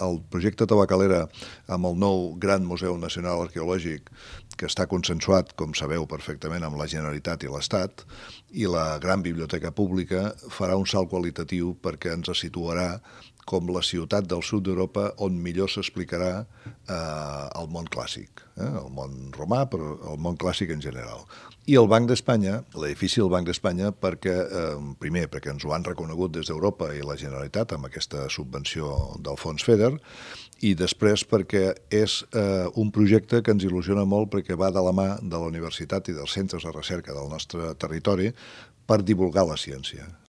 El projecte Tabacalera amb el nou Gran Museu Nacional Arqueològic, que està consensuat, com sabeu perfectament, amb la Generalitat i l'Estat, i la Gran Biblioteca Pública, farà un salt qualitatiu perquè ens situarà com la ciutat del sud d'Europa on millor s'explicarà el món clàssic, el món romà, però el món clàssic en general. I el Banc d'Espanya, l'edifici del Banc d'Espanya, primer perquè ens ho han reconegut des d'Europa i la Generalitat amb aquesta subvenció del Fons FEDER, i després perquè és un projecte que ens il·lusiona molt perquè va de la mà de la universitat i dels centres de recerca del nostre territori per divulgar la ciència.